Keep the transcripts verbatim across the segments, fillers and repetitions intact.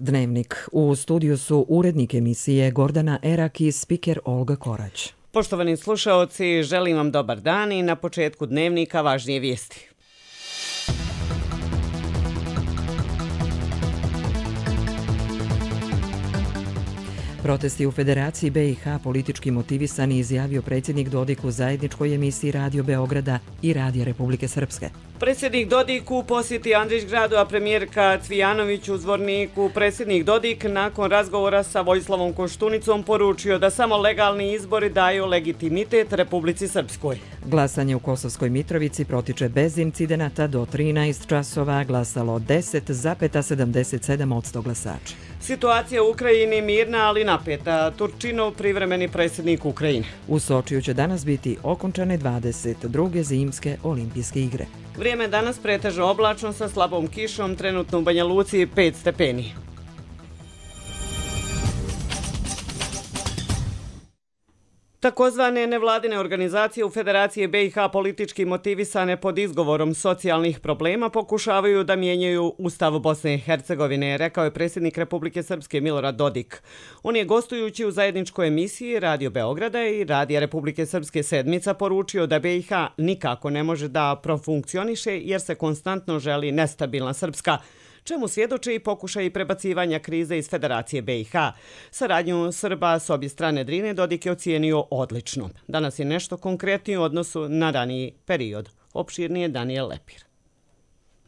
Dnevnik. U studiju su urednik emisije Gordana Erak i spiker Olga Korać. Poštovani slušaoci, želim vam dobar dan i na početku Dnevnika važnije vijesti. Protesti u Federaciji B i H politički motivisani, izjavio predsjednik Dodik u zajedničkoj emisiji Radio Beograda i Radija Republike Srpske. Predsjednik Dodik u posjeti Andrićgradu, a premijerka Cvijanović u Zvorniku. Predsjednik Dodik nakon razgovora sa Vojislavom Koštunicom poručio da samo legalni izbori daju legitimitet Republici Srpskoj. Glasanje u Kosovskoj Mitrovici protiče bez incidenata do trinaest časova, glasalo deset zarez sedamdeset sedam posto glasača. Situacija u Ukrajini mirna, ali napeta. Turčinov privremeni predsjednik Ukrajine. U Sočiju će danas biti okončane dvadeset druge zimske olimpijske igre. Vrijeme danas pretežno oblačno sa slabom kišom, trenutno u Banja Luci pet stepeni. Takozvane nevladine organizacije u Federaciji B i H politički motivisane pod izgovorom socijalnih problema pokušavaju da mijenjaju Ustav Bosne i Hercegovine, rekao je predsjednik Republike Srpske Milorad Dodik. On je gostujući u zajedničkoj emisiji Radio Beograda i Radija Republike Srpske Sedmica poručio da B i H nikako ne može da profunkcioniše jer se konstantno želi nestabilna Srpska, čemu svjedoče i pokušaj prebacivanja krize iz Federacije B i H. Saradnju Srba s obje strane Drine Dodik je ocijenio odlično. Danas je nešto konkretnije u odnosu na raniji period. Opširnije Daniel Lepir.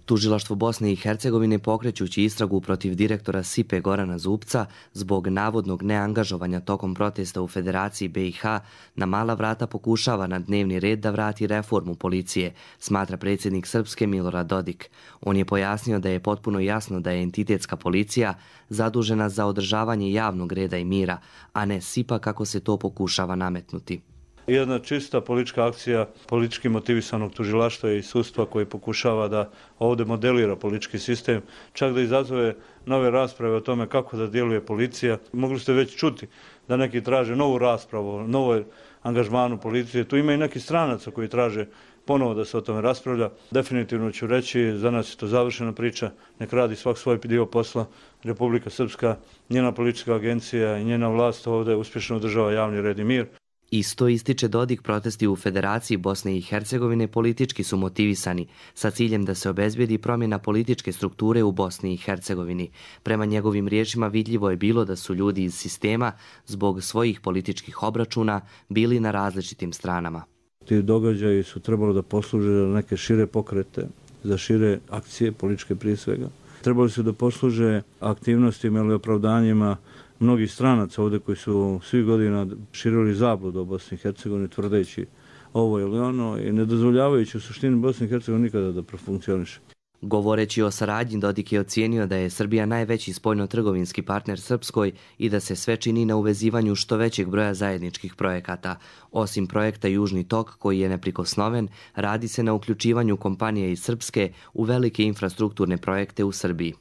Tužilaštvo Bosne i Hercegovine pokrećući istragu protiv direktora S I P-e Gorana Zubca zbog navodnog neangažovanja tokom protesta u Federaciji B i H na mala vrata pokušava na dnevni red da vrati reformu policije, smatra predsjednik Srpske Milorad Dodik. On je pojasnio da je potpuno jasno da je entitetska policija zadužena za održavanje javnog reda i mira, a ne S I P-a kako se to pokušava nametnuti. Jedna čista politička akcija politički motivisanog tužilaštva i sudstva koji pokušava da ovdje modelira politički sistem, čak da izazove nove rasprave o tome kako da djeluje policija. Mogli ste već čuti da neki traže novu raspravu o novoj angažmanu policije. Tu ima i neki stranaca koji traže ponovo da se o tome raspravlja. Definitivno ću reći, za nas je to završena priča, nek radi svak svoj dio posla. Republika Srpska, njena politička agencija i njena vlast ovdje uspješno održava javni red i mir. Isto ističe Dodik, protesti u Federaciji Bosne i Hercegovine politički su motivisani sa ciljem da se obezbijedi promjena političke strukture u Bosni i Hercegovini. Prema njegovim riječima vidljivo je bilo da su ljudi iz sistema zbog svojih političkih obračuna bili na različitim stranama. Ti događaji su trebalo da posluže za neke šire pokrete, za šire akcije političke prije svega. Trebali su da posluže aktivnostima ili opravdanjima mnogih stranaca ovdje koji su svih godina širili zabludu o Bosni i Hercegovini tvrdeći ovo ili ono i ne dozvoljavajući u suštini Bosni i Hercegovini nikada da profunkcioniše. Govoreći o saradnji, Dodik je ocijenio da je Srbija najveći spoljno-trgovinski partner Srpskoj i da se sve čini na uvezivanju što većeg broja zajedničkih projekata. Osim projekta Južni tok, koji je neprikosnoven, radi se na uključivanju kompanija iz Srpske u velike infrastrukturne projekte u Srbiji.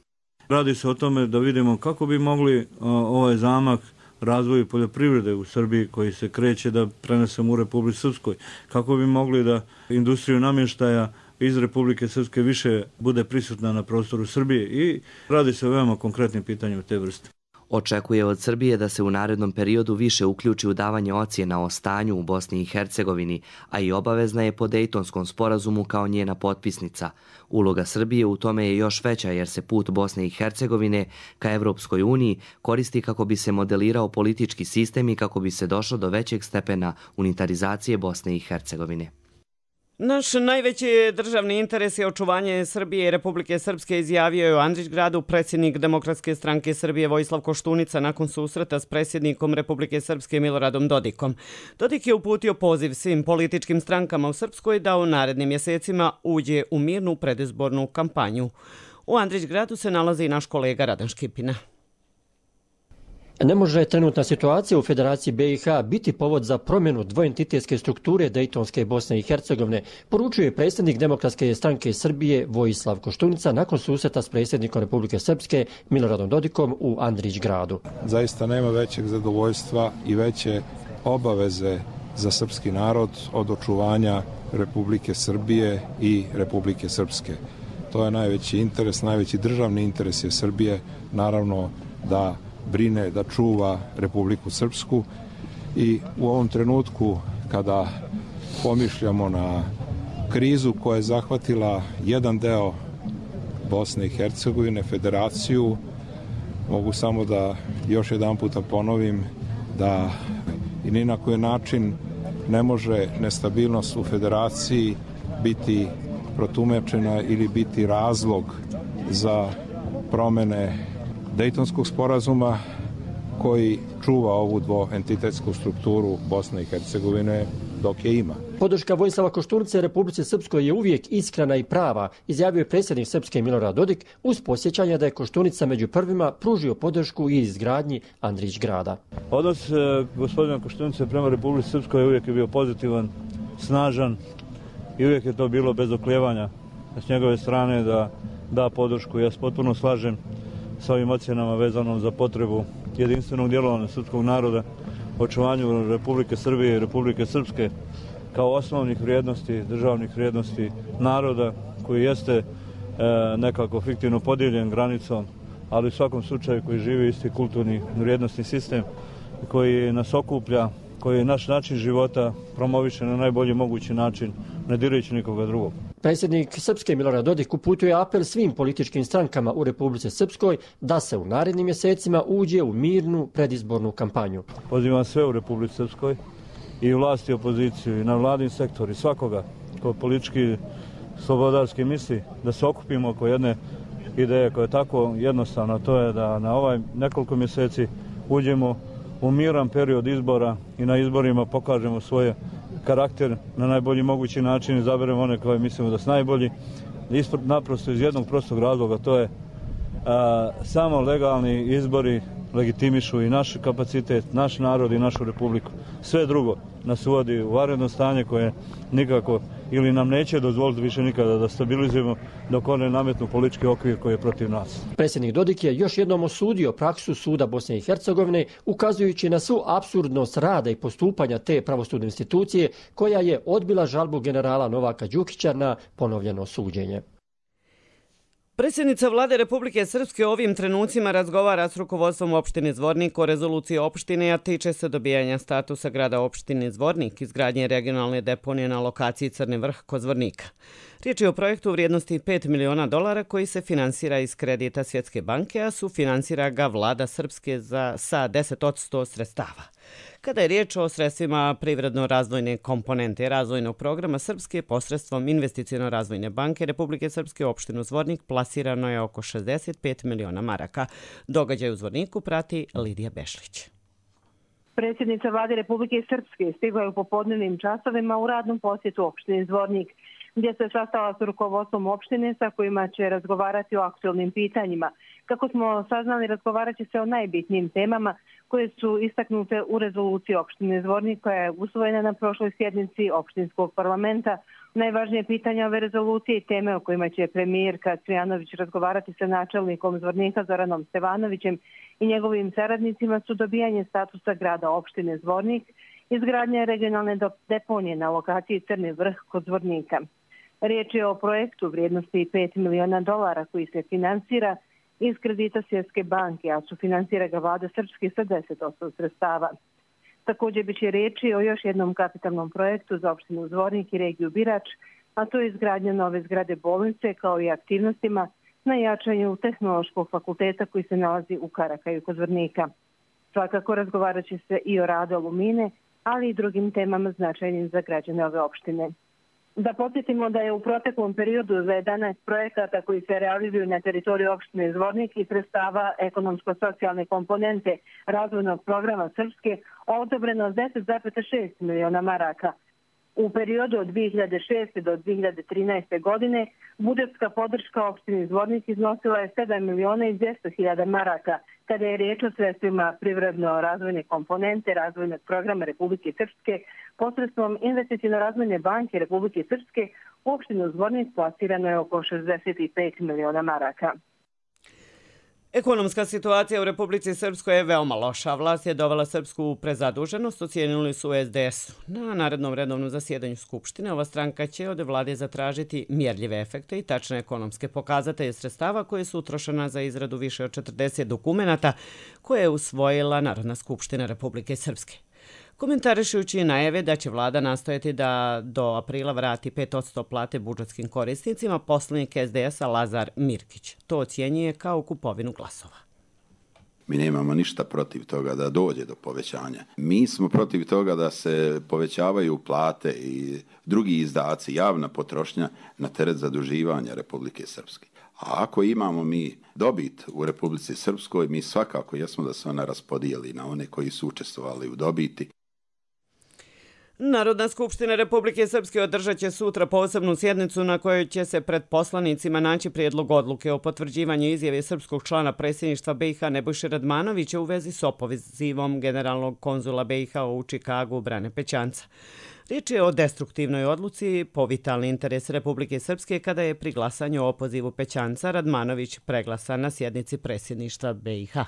Radi se o tome da vidimo kako bi mogli ovaj zamak razvoju poljoprivrede u Srbiji koji se kreće da prenesemo u Republici Srpskoj, kako bi mogli da industriju namještaja iz Republike Srpske više bude prisutna na prostoru Srbije i radi se o veoma konkretnim pitanjima te vrste. Očekuje od Srbije da se u narednom periodu više uključi u davanje ocjena o stanju u Bosni i Hercegovini, a i obavezna je po Dejtonskom sporazumu kao njena potpisnica. Uloga Srbije u tome je još veća jer se put Bosne i Hercegovine ka Evropskoj uniji koristi kako bi se modelirao politički sistem i kako bi se došlo do većeg stepena unitarizacije Bosne i Hercegovine. Naš najveći državni interes je očuvanje Srbije i Republike Srpske, izjavio je u Andrićgradu predsjednik Demokratske stranke Srbije Vojislav Koštunica nakon susreta s predsjednikom Republike Srpske Miloradom Dodikom. Dodik je uputio poziv svim političkim strankama u Srpskoj da u narednim mjesecima uđe u mirnu predizbornu kampanju. U Andrićgradu se nalazi i naš kolega Radan Škipina. Ne može trenutna situacija u Federaciji B i H biti povod za promjenu dvoentitetske strukture Dejtonske Bosne i Hercegovine, poručuje predsjednik Demokratske stranke Srbije Vojislav Koštunica nakon susreta s predsjednikom Republike Srpske Miloradom Dodikom u Andrićgradu. Zaista nema većeg zadovoljstva i veće obaveze za srpski narod od očuvanja Republike Srbije i Republike Srpske. To je najveći interes, najveći državni interes je Srbije, naravno da brine, da čuva Republiku Srpsku i u ovom trenutku kada pomišljamo na krizu koja je zahvatila jedan deo Bosne i Hercegovine, federaciju, mogu samo da još jedan puta ponovim da i ni na koji način ne može nestabilnost u federaciji biti protumečena ili biti razlog za promene Dejtonskog sporazuma koji čuva ovu dvoentitetsku strukturu Bosne i Hercegovine dok je ima. Podrška Vojislava Koštunice Republici Srpskoj je uvijek iskrena i prava, izjavio je predsjednik Srpske Milorad Dodik uz posjećanje da je Koštunica među prvima pružio podršku i izgradnji Andrić grada. Odnos e, gospodina Koštunice prema Republici Srpskoj uvijek je bio pozitivan, snažan i uvijek je to bilo bez oklijevanja s njegove strane da da podršku. Ja se potpuno slažem sa ovim ocjenama vezanom za potrebu jedinstvenog djelovanja srpskog naroda, očuvanju Republike Srbije i Republike Srpske kao osnovnih vrijednosti, državnih vrijednosti naroda koji jeste e, nekako fiktivno podijeljen granicom, ali u svakom slučaju koji živi isti kulturni vrijednostni sistem koji nas okuplja, koji naš način života promoviše na najbolji mogući način, ne dirajući nikoga drugog. Predsjednik Srpske Milorad Dodik uputio je apel svim političkim strankama u Republici Srpskoj da se u narednim mjesecima uđe u mirnu predizbornu kampanju. Pozivam sve u Republici Srpskoj i vlasti i opoziciju i na vladin sektor i svakoga ko politički slobodarski misli da se okupimo oko jedne ideje koja je tako jednostavna, to je da na ovaj nekoliko mjeseci uđemo u miran period izbora i na izborima pokažemo svoje karakter na najbolji mogući način, izaberemo one koje mislimo da su najbolji. Ispred, naprosto iz jednog prostog razloga, to je a, samo legalni izbori legitimišu i naš kapacitet, naš narod i našu republiku. Sve drugo nas uvodi u vanredno stanje koje nikako ili nam neće dozvoliti više nikada da stabilizujemo dok one nametnu politički okvir koji je protiv nas. Predsjednik Dodik je još jednom osudio praksu suda Bosne i Hercegovine, ukazujući na svu apsurdnost rada i postupanja te pravosudne institucije koja je odbila žalbu generala Novaka Đukića na ponovljeno suđenje. Predsjednica vlade Republike Srpske ovim trenucima razgovara s rukovodstvom opštine Zvornik o rezoluciji opštine, a tiče se dobijanja statusa grada opštine Zvornik, izgradnje regionalne deponije na lokaciji Crni vrh kod Zvornika. Riječ je o projektu u vrijednosti pet miliona dolara koji se finansira iz kredita Svjetske banke, a sufinansira ga vlada Srpske za, sa deset posto sredstava. Kada je riječ o sredstvima privredno-razvojne komponente razvojnog programa Srpske posredstvom Investiciono-razvojne banke Republike Srpske u opštinu Zvornik plasirano je oko šezdeset pet miliona maraka. Događaj u Zvorniku prati Lidija Bešlić. Predsjednica vlade Republike Srpske stigla je u popodnevnim časovima u radnom posjetu opštine Zvornik, gdje se sastala s rukovodstvom opštine sa kojima će razgovarati o aktualnim pitanjima. Kako smo saznali, razgovarat će se o najbitnijim temama koje su istaknute u rezoluciji opštine Zvornik koja je usvojena na prošloj sjednici opštinskog parlamenta. Najvažnije pitanja ove rezolucije i teme o kojima će premijerka Cvijanović razgovarati sa načelnikom Zvornika Zoranom Stevanovićem i njegovim saradnicima su dobijanje statusa grada opštine Zvornik, izgradnja regionalne deponije na lokaciji Crni vrh kod Zvornika. Riječ je o projektu vrijednosti pet miliona dolara koji se finansira iz kredita Svjetske banke, a sufinansira ga vlada Srpske sa deset posto sredstava. Također biće riječi o još jednom kapitalnom projektu za opštinu Zvornik i regiju Birač, a to je izgradnja nove zgrade bolnice kao i aktivnostima na jačanju Tehnološkog fakulteta koji se nalazi u Karakaju kod Zvornika. Svakako razgovarat će se i o radu Alumine, ali i drugim temama značajnim za građane ove opštine. Da podsjetimo da je u proteklom periodu za jedanaest projekata koji se realizuju na teritoriji opštine Zvornik i sredstava ekonomsko-socijalne komponente razvojnog programa Srpske odobreno deset zarez šest miliona maraka. U periodu od dvije hiljade šeste do dvije hiljade trinaeste. godine budžetska podrška opštini Zvornik iznosila je sedam miliona i dvjesto hiljada maraka, kada je riječ o sredstvima privredno-razvojne komponente razvojnog programa Republike Srpske posredstvom Investiciono-razvojne banke Republike Srpske u opštinu Zvornik plasirano je oko šezdeset pet miliona maraka. Ekonomska situacija u Republici Srpskoj je veoma loša. Vlast je dovela Srpsku u prezaduženost, ocijenili su u es de esu. Na narednom redovnom zasjedanju Skupštine ova stranka će od vlade zatražiti mjerljive efekte i tačne ekonomske pokazatelje sredstava koje su utrošena za izradu više od četrdeset dokumenata koje je usvojila Narodna skupština Republike Srpske. Komentarišujući najave da će vlada nastojati da do aprila vrati pet posto plate budžetskim korisnicima, poslanik es de esa Lazar Mirkić to ocjenjuje kao kupovinu glasova. Mi nemamo ništa protiv toga da dođe do povećanja. Mi smo protiv toga da se povećavaju plate i drugi izdaci, javna potrošnja na teret zaduživanja Republike Srpske. A ako imamo mi dobit u Republici Srpskoj, mi svakako jesmo da se ona raspodijeli na one koji su učestvovali u dobiti. Narodna skupština Republike Srpske održat će sutra posebnu sjednicu na kojoj će se pred poslanicima naći prijedlog odluke o potvrđivanju izjave srpskog člana predsjedništva be i ha Nebojše Radmanovića u vezi s opozivom generalnog konzula be i ha u Čikagu Brane Pećanca. Riječ je o destruktivnoj odluci po vitalni interes Republike Srpske kada je pri glasanju o opozivu Pećanca Radmanović preglasan na sjednici predsjedništva be i ha.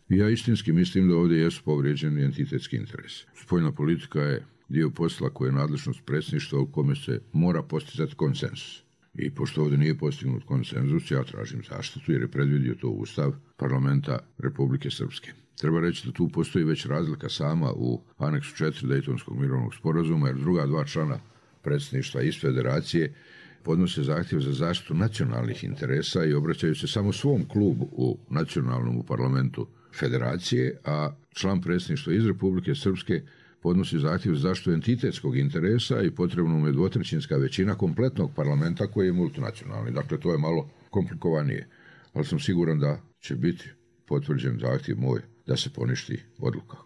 Ja istinski mislim da ovdje jesu povrijeđeni entitetski interes. Spoljna politika je dio posla koje je nadležnost predsjedništva u kome se mora postizati konsenzus. I pošto ovdje nije postignut konsenzus, ja tražim zaštitu jer je predvidio to Ustav parlamenta Republike Srpske. Treba reći da tu postoji već razlika sama u aneksu četiri Dejtonskog mirovnog sporazuma, jer druga dva člana predsjedništva iz federacije podnose zahtjev za zaštitu nacionalnih interesa i obraćaju se samo svom klubu u nacionalnom parlamentu federacije, a član predsjedništva iz Republike Srpske podnosi zahtjev za zaštitu entitetskog interesa i potrebno mu je dvotrećinska većina kompletnog parlamenta koji je multinacionalni. Dakle, to je malo komplikovanije, ali sam siguran da će biti potvrđen zahtjev moj da se poništi odluka.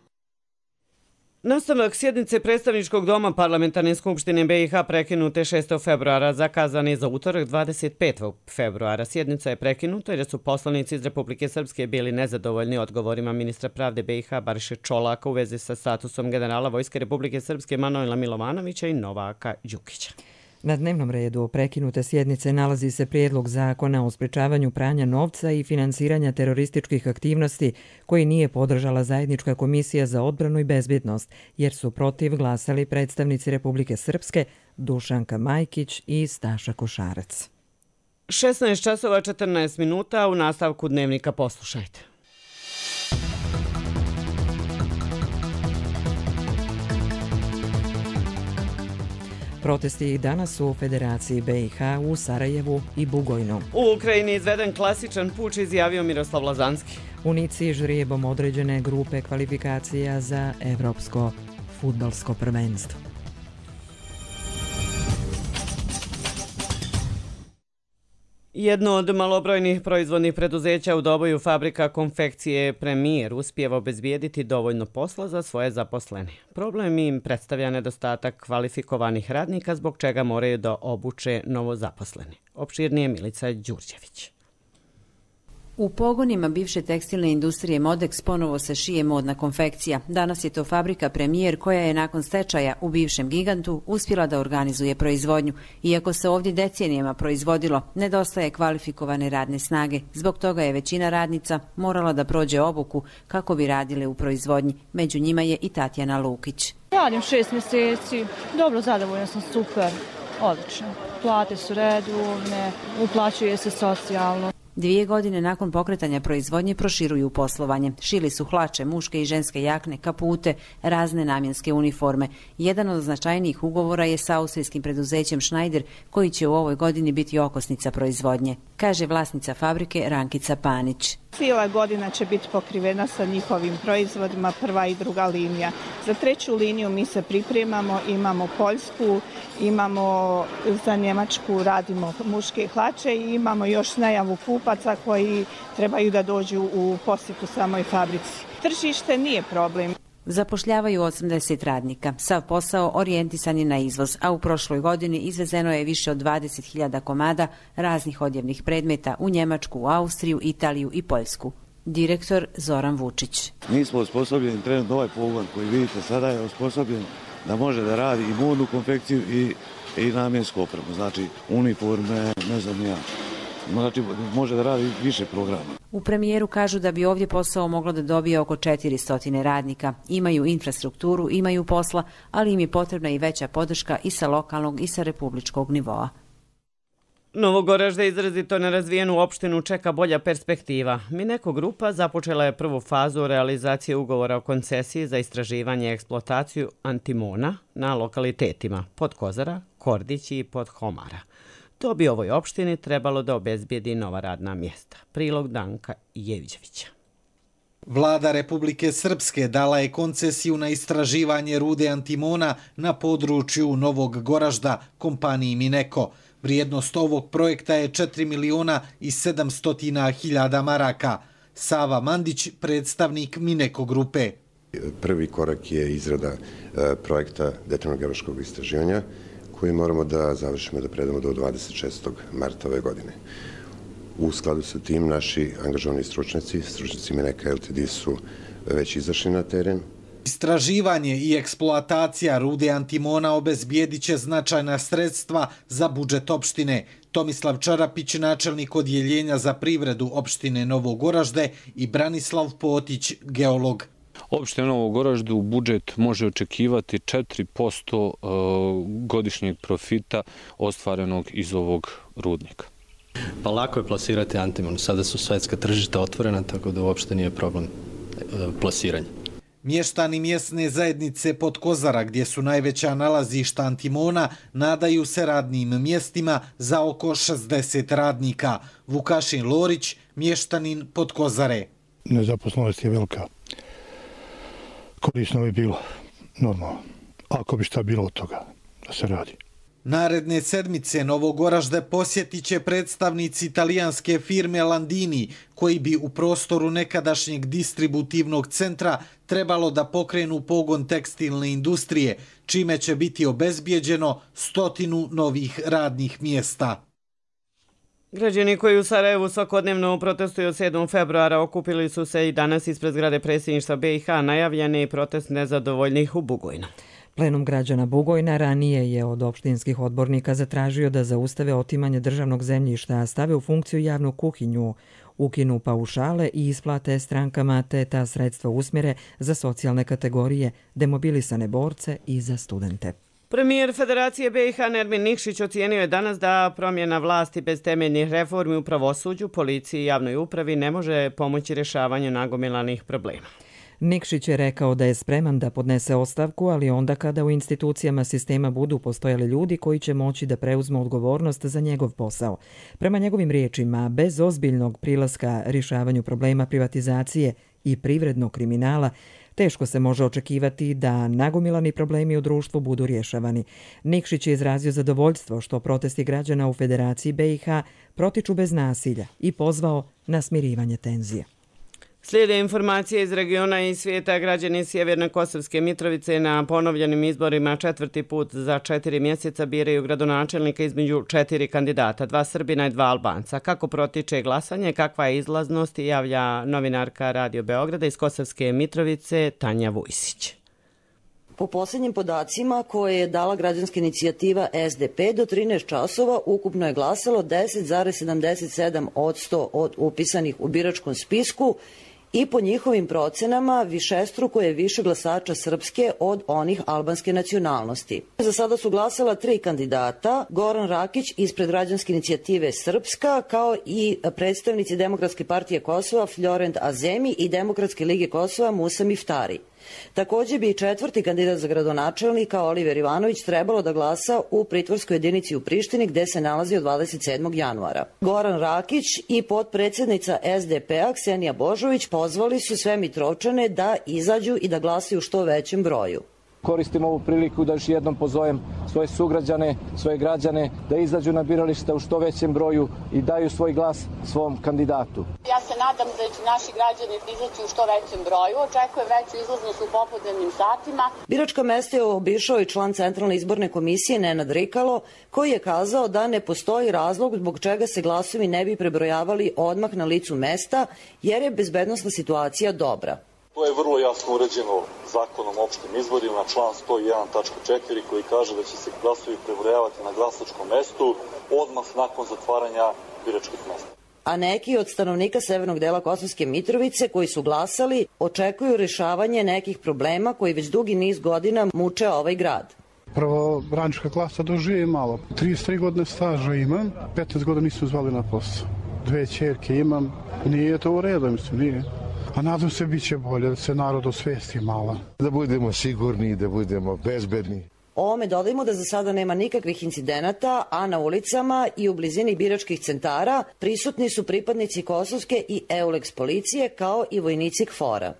Nastavak sjednice predstavničkog doma Parlamentarne skupštine be i ha prekinute šestog februara zakazan je za utorak dvadeset petog februara. Sjednica je prekinuta jer su poslanici iz Republike Srpske bili nezadovoljni odgovorima ministra pravde be i ha Bariše Čolaka u vezi sa statusom generala Vojske Republike Srpske Manojla Milovanovića i Novaka Đukića. Na dnevnom redu prekinute sjednice nalazi se prijedlog zakona o sprečavanju pranja novca i finansiranja terorističkih aktivnosti koji nije podržala zajednička komisija za odbranu i bezbjednost, jer su protiv glasali predstavnici Republike Srpske Dušanka Majkić i Staša Košarac. šesnaest časova četrnaest minuta, u nastavku dnevnika poslušajte. Protesti danas u Federaciji be i ha u Sarajevu i Bugojnu. U Ukrajini izveden klasičan puč, izjavio Miroslav Lazanski. U Nici žrijebom određene grupe kvalifikacija za evropsko fudbalsko prvenstvo. Jedno od malobrojnih proizvodnih preduzeća u Doboju, fabrika konfekcije Premijer, uspijeva obezbijediti dovoljno posla za svoje zaposlene. Problem im predstavlja nedostatak kvalifikovanih radnika, zbog čega moraju da obuče novozaposlene. Opširnije Milica Đurđević. U pogonima bivše tekstilne industrije Modex ponovo se šije modna konfekcija. Danas je to fabrika Premijer koja je nakon stečaja u bivšem gigantu uspjela da organizuje proizvodnju. Iako se ovdje decenijama proizvodilo, nedostaje kvalifikovane radne snage. Zbog toga je većina radnica morala da prođe obuku kako bi radile u proizvodnji. Među njima je i Tatjana Lukić. Radim šest mjeseci, dobro, zadovoljna sam, super, odlično. Plate su redovne, uplaćuje se socijalno. Dvije godine nakon pokretanja proizvodnje proširuju poslovanje. Šili su hlače, muške i ženske jakne, kapute, razne namjenske uniforme. Jedan od značajnijih ugovora je sa austrijskim preduzećem Schneider, koji će u ovoj godini biti okosnica proizvodnje, kaže vlasnica fabrike Rankica Panić. Cijela godina će biti pokrivena sa njihovim proizvodima, prva i druga linija. Za treću liniju mi se pripremamo, imamo Poljsku, imamo za Njemačku, radimo muške hlače i imamo još najavu kupaca koji trebaju da dođu u posjetu samoj fabrici. Tržište nije problem. Zapošljavaju osamdeset radnika. Sav posao orijentisan je na izvoz, a u prošloj godini izvezeno je više od dvadeset hiljada komada raznih odjevnih predmeta u Njemačku, u Austriju, Italiju i Poljsku. Direktor Zoran Vučić. Mi smo osposobljeni, trenutno ovaj pogon koji vidite sada je osposobljen da može da radi i modnu konfekciju i, i namjensku opremu, znači uniforme, ne znam ja, znači može da radi više programa. U premijeru kažu da bi ovdje posao moglo da dobije oko četiristo radnika. Imaju infrastrukturu, imaju posla, ali im je potrebna i veća podrška i sa lokalnog i sa republičkog nivoa. Novogoražde izrazito nerazvijenu opštinu čeka bolja perspektiva. Mineko grupa započela je prvu fazu realizacije ugovora o koncesiji za istraživanje i eksploataciju antimona na lokalitetima Podkozara, Kordić i Podhomara. To bi ovoj opštini trebalo da obezbijedi nova radna mjesta. Prilog Danka Jevđevića. Vlada Republike Srpske dala je koncesiju na istraživanje rude antimona na području Novog Goražda kompaniji Mineko. Vrijednost ovog projekta je četiri miliona i sedamsto hiljada maraka. Sava Mandić, predstavnik Mineko grupe. Prvi korak je izrada projekta detaljnog geološkog istraživanja koji moramo da završimo i da predamo do dvadeset šestog marta ove godine. U skladu sa tim naši angažovani stručnjaci, stručnjaci Mineka L T D su već izašli na teren. Istraživanje i eksploatacija rude antimona obezbijedit će značajna sredstva za budžet opštine. Tomislav Čarapić, načelnik odjeljenja za privredu opštine Novogoražde, i Branislav Potić, geolog. Opština Novogoražde u budžet može očekivati četiri posto godišnjeg profita ostvarenog iz ovog rudnika. Pa lako je plasirati antimon. Sada su svetska tržišta otvorena, tako da uopšte nije problem plasiranja. Mještani mjesne zajednice Podkozara, gdje su najveća nalazišta antimona, nadaju se radnim mjestima za oko šezdeset radnika. Vukašin Lorić, mještanin Podkozare. Nezaposlenost je velika. Korisno bi bilo, normalno, ako bi šta bilo od toga da se radi. Naredne sedmice Novogoražde posjetit će predstavnici italijanske firme Landini, koji bi u prostoru nekadašnjeg distributivnog centra trebalo da pokrenu pogon tekstilne industrije, čime će biti obezbijeđeno stotinu novih radnih mjesta. Građani koji u Sarajevu svakodnevno protestuju od sedmog februara okupili su se i danas ispred zgrade predsjedništva B i H, najavljeni protest nezadovoljnih u Bugojnu. Plenum građana Bugojna ranije je od opštinskih odbornika zatražio da zaustave otimanje državnog zemljišta, stave u funkciju javnu kuhinju, ukinu paušale i isplate strankama te ta sredstva usmjere za socijalne kategorije, demobilisane borce i za studente. Premijer Federacije B i H Nermin Nikšić ocijenio je danas da promjena vlasti bez temeljnih reformi u pravosuđu, policiji i javnoj upravi ne može pomoći rješavanju nagomilanih problema. Nikšić je rekao da je spreman da podnese ostavku, ali onda kada u institucijama sistema budu postojali ljudi koji će moći da preuzmu odgovornost za njegov posao. Prema njegovim riječima, bez ozbiljnog prilaska rješavanju problema privatizacije i privrednog kriminala, teško se može očekivati da nagomilani problemi u društvu budu rješavani. Nikšić je izrazio zadovoljstvo što protesti građana u Federaciji B i H protiču bez nasilja i pozvao na smirivanje tenzije. Slijede informacije iz regiona i svijeta. Građani Sjeverne Kosovske Mitrovice na ponovljenim izborima četvrti put za četiri mjeseca biraju gradonačelnika između četiri kandidata, dva Srbina i dva Albanca. Kako protiče glasanje, kakva je izlaznost, javlja novinarka Radio Beograda iz Kosovske Mitrovice Tanja Vujsić. Po posljednjim podacima koje je dala građanska inicijativa S D P, do trinaest časova ukupno je glasalo deset zarez sedamdeset sedam posto od upisanih u biračkom spisku i po njihovim procenama višestruko je više glasača srpske od onih albanske nacionalnosti. Za sada su glasala tri kandidata, Goran Rakić ispred građanske inicijative Srpska, kao i predstavnici Demokratske partije Kosova Florent Azemi i Demokratske lige Kosova Musa Miftari. Također bi i četvrti kandidat za gradonačelnika Oliver Ivanović trebalo da glasa u pritvorskoj jedinici u Prištini gde se nalazi od dvadeset sedmog januara. Goran Rakić i potpredsjednica S D P-a Ksenija Božović pozvali su sve Mitrovčane da izađu i da glasaju u što većem broju. Koristim ovu priliku da još jednom pozovem svoje sugrađane, svoje građane da izađu na birališta u što većem broju i daju svoj glas svom kandidatu. Ja se nadam da će naši građani izaći u što većem broju. Očekujem veću izlaznost u popodnevnim satima. Biračka mesta je obišao i član Centralne izborne komisije Nenad Rikalo, koji je kazao da ne postoji razlog zbog čega se glasovi ne bi prebrojavali odmah na licu mesta, jer je bezbednosna situacija dobra. To je je vrlo jasno uređeno zakonom o opštim izborima, član sto jedan tačka četiri koji kaže da će se glasovi prebrojavati na glasačkom mestu odmah nakon zatvaranja biračkih mesta. A neki od stanovnika severnog dela Kosovske Mitrovice koji su glasali očekuju rješavanje nekih problema koji već dugi niz godina muče ovaj grad. Prvo, radnička klasa doživi malo. trideset tri godine staža imam, petnaest godina nisu zvali na posao. Dve ćerke imam, nije to u redu, mislim, nije. A nadam se bit će bolje, da se narod osvesti malo. Da budemo sigurni, da budemo bezbedni. Ovome dodajmo da za sada nema nikakvih incidenata, a na ulicama i u blizini biračkih centara prisutni su pripadnici kosovske i EULEX policije kao i vojnici K F O R-a.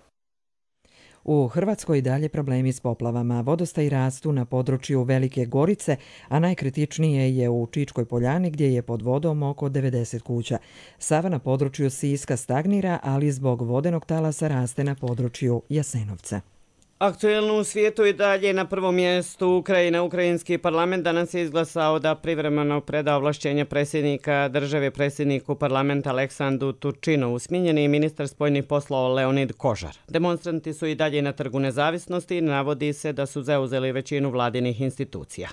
U Hrvatskoj i dalje problemi s poplavama. Vodostaji rastu na području Velike Gorice, a najkritičnije je u Čičkoj Poljani gdje je pod vodom oko devedeset kuća. Sava na području Siska stagnira, ali zbog vodenog talasa raste na području Jasenovca. Aktuelno u svijetu i dalje na prvom mjestu Ukrajina. Ukrajinski parlament danas je izglasao da privremeno preda ovlašćenja predsjednika države predsjedniku parlamenta Aleksandru Turčinovu. Smijenjen je ministar spoljnih poslova Leonid Kožar. Demonstranti su i dalje na Trgu nezavisnosti i navodi se da su zauzeli većinu vladinih institucija.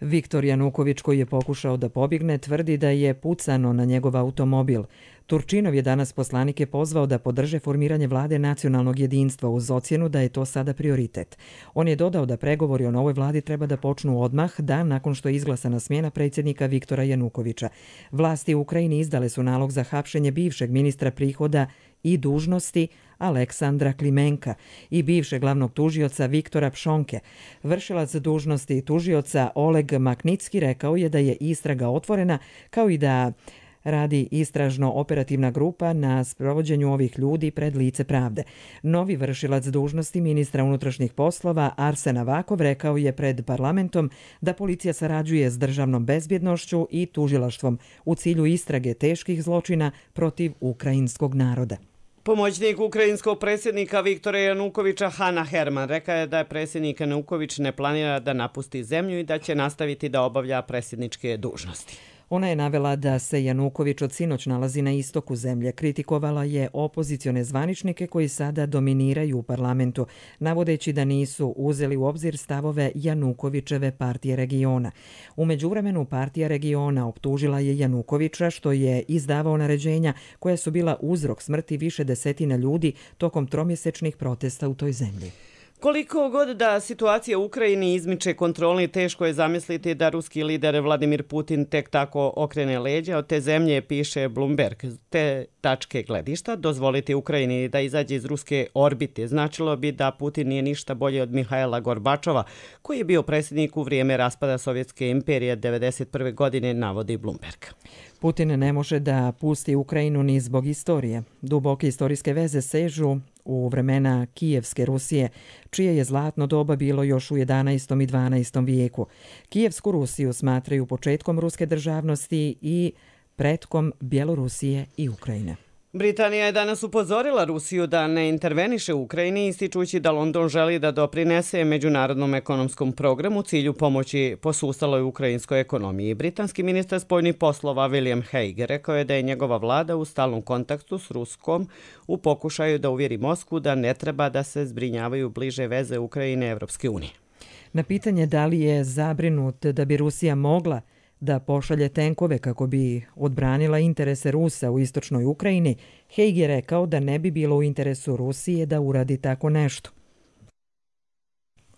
Viktor Januković, koji je pokušao da pobjegne, tvrdi da je pucano na njegov automobil. Turčinov je danas poslanike pozvao da podrže formiranje vlade nacionalnog jedinstva uz ocjenu da je to sada prioritet. On je dodao da pregovori o novoj vladi treba da počnu odmah, dan nakon što je izglasana smjena predsjednika Viktora Janukovića. Vlasti u Ukrajini izdale su nalog za hapšenje bivšeg ministra prihoda i dužnosti Aleksandra Klimenka i bivšeg glavnog tužioca Viktora Pšonke. Vršilac dužnosti tužioca Oleg Maknicki rekao je da je istraga otvorena, kao i da radi istražno-operativna grupa na sprovođenju ovih ljudi pred lice pravde. Novi vršilac dužnosti ministra unutrašnjih poslova Arsen Avakov rekao je pred parlamentom da policija sarađuje s državnom bezbjednošću i tužilaštvom u cilju istrage teških zločina protiv ukrajinskog naroda. Pomoćnik ukrajinskog predsjednika Viktora Janukovića Hana Herman rekao je da je predsjednik Januković ne planira da napusti zemlju i da će nastaviti da obavlja predsjedničke dužnosti. Ona je navela da se Januković od sinoć nalazi na istoku zemlje. Kritikovala je opozicione zvaničnike koji sada dominiraju u parlamentu, navodeći da nisu uzeli u obzir stavove Janukovićeve partije regiona. U međuvremenu partija regiona optužila je Janukovića što je izdavao naređenja koja su bila uzrok smrti više desetina ljudi tokom tromjesečnih protesta u toj zemlji. Koliko god da situacija u Ukrajini izmiče kontroli, teško je zamisliti da ruski lider Vladimir Putin tek tako okrene leđa od te zemlje, piše Bloomberg. Te tačke gledišta dozvoliti Ukrajini da izađe iz ruske orbite značilo bi da Putin nije ništa bolje od Mihajla Gorbačova, koji je bio predsjednik u vrijeme raspada Sovjetske imperije devedeset prve godine, navodi Bloomberg. Putin ne može da pusti Ukrajinu ni zbog istorije. Duboke istorijske veze sežu u vremena Kijevske Rusije, čije je zlatno doba bilo još u jedanaestom i dvanaestom vijeku. Kijevsku Rusiju smatraju početkom ruske državnosti i pretkom Bjelorusije i Ukrajine. Britanija je danas upozorila Rusiju da ne interveniše u Ukrajini, ističući da London želi da doprinese međunarodnom ekonomskom programu u cilju pomoći posustaloj ukrajinskoj ekonomiji. Britanski ministar spoljnih poslova William Hague rekao je da je njegova vlada u stalnom kontaktu s Ruskom u pokušaju da uvjeri Moskvu da ne treba da se zbrinjavaju bliže veze Ukrajine i Evropske unije. Na pitanje da li je zabrinut da bi Rusija mogla da pošalje tenkove kako bi odbranila interese Rusa u istočnoj Ukrajini, Hague je rekao da ne bi bilo u interesu Rusije da uradi tako nešto.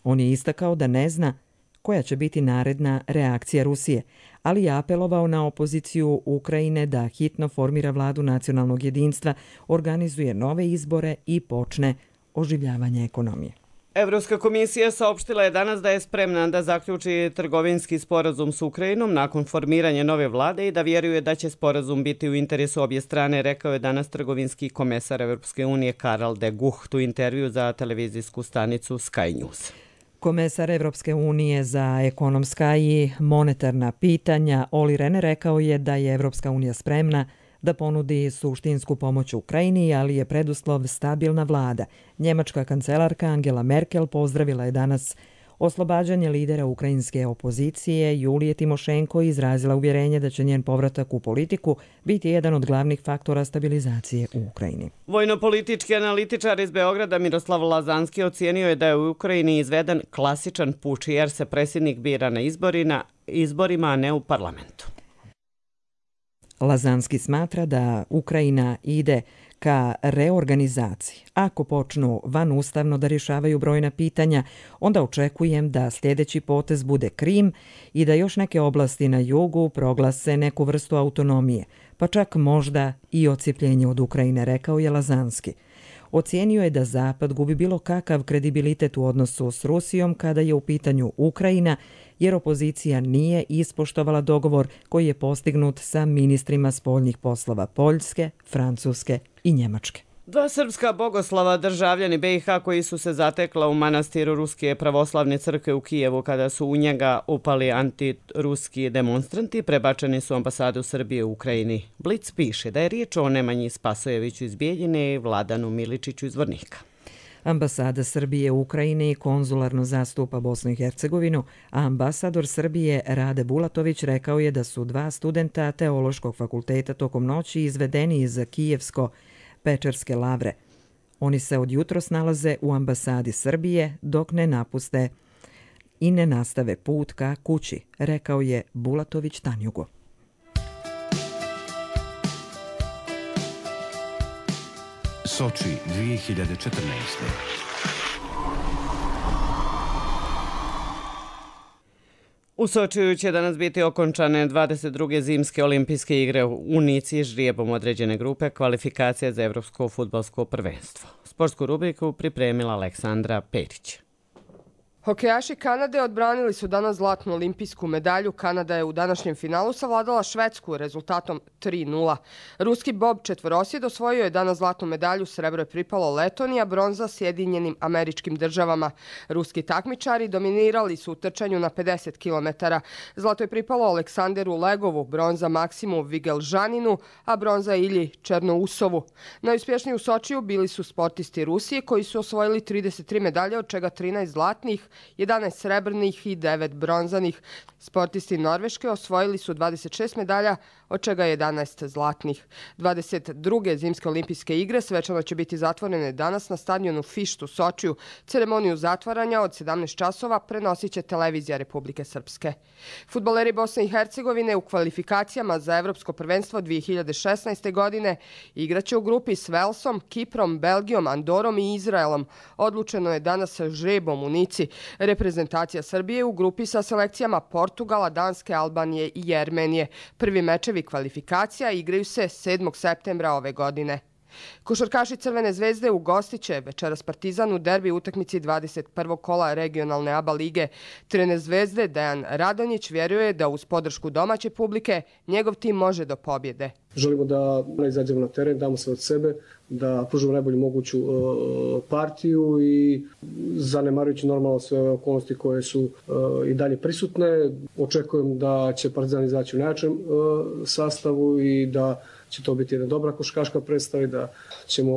On je istakao da ne zna koja će biti naredna reakcija Rusije, ali je apelovao na opoziciju Ukrajine da hitno formira vladu nacionalnog jedinstva, organizuje nove izbore i počne oživljavanje ekonomije. Evropska komisija saopštila je danas da je spremna da zaključi trgovinski sporazum s Ukrajinom nakon formiranja nove vlade i da vjeruje da će sporazum biti u interesu obje strane, rekao je danas trgovinski komesar Evropske unije Karel de Gucht u intervju za televizijsku stanicu Sky News. Komesar Evropske unije za ekonomska i monetarna pitanja Olli Rehn rekao je da je Evropska unija spremna da ponudi suštinsku pomoć Ukrajini, ali je preduslov stabilna vlada. Njemačka kancelarka Angela Merkel pozdravila je danas oslobađanje lidera ukrajinske opozicije Julije Timošenko izrazila uvjerenje da će njen povratak u politiku biti jedan od glavnih faktora stabilizacije u Ukrajini. Vojnopolitički analitičar iz Beograda Miroslav Lazanski ocijenio je da je u Ukrajini izveden klasičan puč jer se predsjednik bira na izborima, izborima, a ne u parlamentu. Lazanski smatra da Ukrajina ide ka reorganizaciji. Ako počnu vanustavno da rješavaju brojna pitanja, onda očekujem da sljedeći potez bude Krim i da još neke oblasti na jugu proglase neku vrstu autonomije, pa čak možda i odcijepljenje od Ukrajine, rekao je Lazanski. Ocijenio je da Zapad gubi bilo kakav kredibilitet u odnosu s Rusijom kada je u pitanju Ukrajina, jer opozicija nije ispoštovala dogovor koji je postignut sa ministrima spoljnih poslova Poljske, Francuske i Njemačke. Dva srpska bogoslava, državljani B i H koji su se zatekla u manastiru Ruske pravoslavne crkve u Kijevu kada su u njega upali antiruski demonstranti, prebačeni su u ambasadu Srbije u Ukrajini. Blic piše da je riječ o Nemanji Spasojeviću iz Bijeljine i Vladanu Miličiću iz Vornika. Ambasada Srbije u Ukrajini konzularno zastupa Bosnu i Hercegovinu, a ambasador Srbije Rade Bulatović rekao je da su dva studenta Teološkog fakulteta tokom noći izvedeni iz Kijevsko-Pečerske lavre. Oni se od jutros nalaze u ambasadi Srbije dok ne napuste i ne nastave put ka kući, rekao je Bulatović Tanjugu. Soči dvije hiljade četrnaeste. U Sočiju će danas biti okončane dvadeset druge zimske olimpijske igre u Nici ždrijebom određene grupe kvalifikacije za Evropsko fudbalsko prvenstvo. Sportsku rubriku pripremila Aleksandra Perić. Hokejaši Kanade odbranili su danas zlatnu olimpijsku medalju. Kanada je u današnjem finalu savladala Švedsku rezultatom tri nula. Ruski bob četvorosjed osvojio je danas zlatnu medalju, srebro je pripalo Letoniji, a bronza Sjedinjenim Američkim Državama. Ruski takmičari dominirali su u trčanju na pedeset kilometara. Zlato je pripalo Aleksanderu Legovu, bronza Maksimu Vigelžaninu, a bronza Ilji Černousovu. Najuspješniji u Sočiju bili su sportisti Rusije koji su osvojili trideset tri medalje, od čega trinaest zlatnih, jedanaest srebrnih i devet bronzanih. Sportisti Norveške osvojili su dvadeset šest medalja, od čega jedanaest zlatnih. dvadeset druge zimske olimpijske igre svečano će biti zatvorene danas na stadionu Fišt u Sočiju. Ceremoniju zatvaranja od sedamnaest časova prenosit će televizija Republike Srpske. Fudbaleri Bosne i Hercegovine u kvalifikacijama za Evropsko prvenstvo dvije hiljade šesnaeste. godine igraće u grupi s Velsom, Kiprom, Belgijom, Andorom i Izraelom. Odlučeno je danas žrebom u Nici. Reprezentacija Srbije u grupi sa selekcijama Portugala, Danske, Albanije i Jermenije. Prvi mečevi kvalifikacija igraju se sedmog septembra ove godine. Košarkaši Crvene zvezde ugostiće večeras Partizan u derbi utakmici dvadeset prvog kola regionalne A B A lige. Trener Zvezde Dejan Radonjić vjeruje da uz podršku domaće publike njegov tim može do pobjede. Želimo da izađemo na teren, damo sve od sebe, da pružimo najbolju moguću partiju i zanemarujući normalno sve ove okolnosti koje su i dalje prisutne. Očekujem da će Partizan izaći u najjačem sastavu i da će to biti jedna dobra košarkaška predstava i da ćemo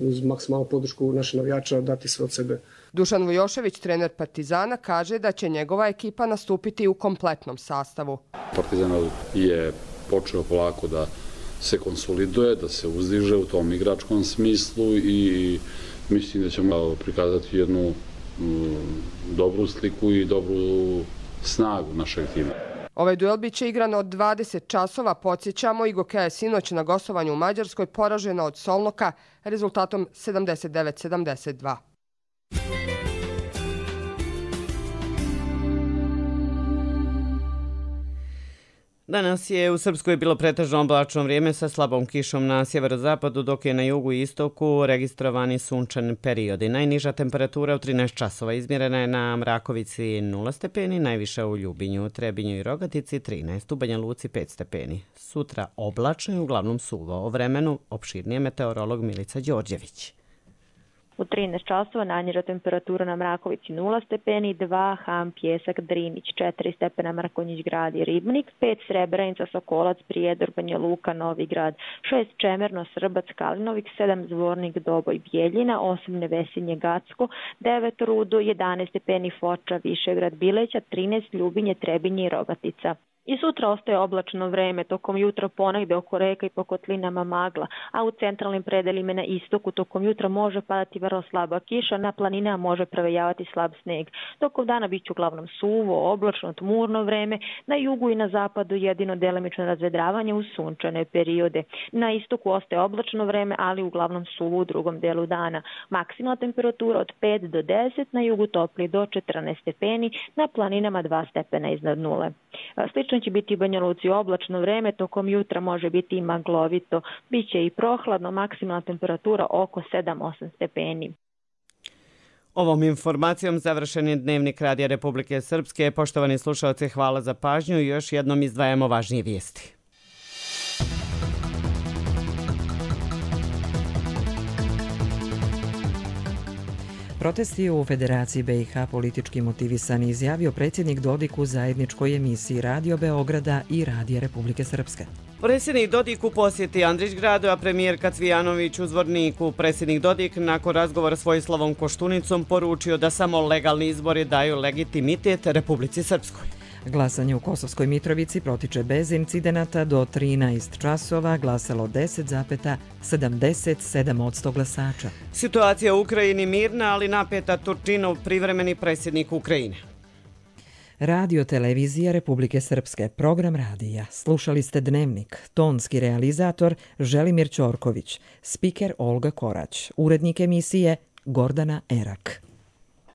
uz maksimalnu podršku naših navijača dati sve od sebe. Dušan Vujošević, trener Partizana, kaže da će njegova ekipa nastupiti u kompletnom sastavu. Partizan je počeo polako da se konsoliduje, da se uzdiže u tom igračkom smislu i mislim da ćemo prikazati jednu dobru sliku i dobru snagu našeg tima. Ovaj duel biće igran od dvadeset časova. Podsjećamo, Igokeja je sinoć na gostovanju u Mađarskoj poražena od Solnoka rezultatom sedamdeset devet sedamdeset dva. Danas je u Srpskoj bilo pretežno oblačno vrijeme sa slabom kišom na sjeverozapadu, dok je na jugu i istoku registrovani sunčani periodi. Najniža temperatura u trinaest časova izmjerena je na Mrakovici nula stepeni, najviša u Ljubinju, Trebinju i Rogatici trinaest, u Banja Luci pet stepeni. Sutra oblačno i uglavnom suvo. O vremenu opširnije meteorolog Milica Đorđević. U trinaest časova najniža temperatura na Mrakovici nula stepeni, dva Ham, Pjesak, Drinić, četiri stepena Mrkonjić Grad i Ribnik, pet Srebrenica, Sokolac, Prijedor, Banja Luka, Novi Grad, šest Čemerno, Srbac, Kalinovik, sedam Zvornik, Doboj, Bijeljina, osam Nevesinje, Gacko, devet Rudo, jedanaest stepeni Foča, Višegrad, Bileća, trinaest Ljubinje, Trebinje i Rogatica. I sutra ostaje oblačno vreme, tokom jutra ponegde oko reka i po kotlinama magla, a u centralnim predelima na istoku tokom jutra može padati vrlo slaba kiša, na planinama može prevejavati slab sneg. Tokom dana biće uglavnom suvo, oblačno, tmurno vreme, na jugu i na zapadu jedino delimično razvedravanje u sunčane periode. Na istoku ostaje oblačno vreme, ali uglavnom suvo u drugom delu dana. Maksimalna temperatura od pet do deset, na jugu topli do četrnaest stepeni, na planinama dva stepena iznad nule. Slično će biti i Banja Luci oblačno vreme, tokom jutra može biti i maglovito, biće i prohladno, maksimalna temperatura oko sedam do osam stepeni. Ovom informacijom završen je Dnevnik Radija Republike Srpske. Poštovani slušalci, hvala za pažnju i još jednom izdvajamo važnije vijesti. Protesti u Federaciji B i H politički motivisani, izjavio predsjednik Dodik u zajedničkoj emisiji Radio Beograda i Radija Republike Srpske. Predsjednik Dodik u posjeti Andrićgradu, a premijerka Cvijanović u Zvorniku. Predsjednik Dodik nakon razgovora s Vojislavom Koštunicom poručio da samo legalni izbori daju legitimitet Republici Srpskoj. Glasanje u Kosovskoj Mitrovici protiče bez incidenata do trinaest časova, glasalo deset zarez sedamdeset sedam posto glasača. Situacija u Ukrajini mirna, ali napeta. Turčinov, privremeni predsjednik Ukrajine. Radio televizija Republike Srpske, program radija. Slušali ste Dnevnik, tonski realizator Želimir Ćorković, spiker Olga Korać, urednik emisije Gordana Erak.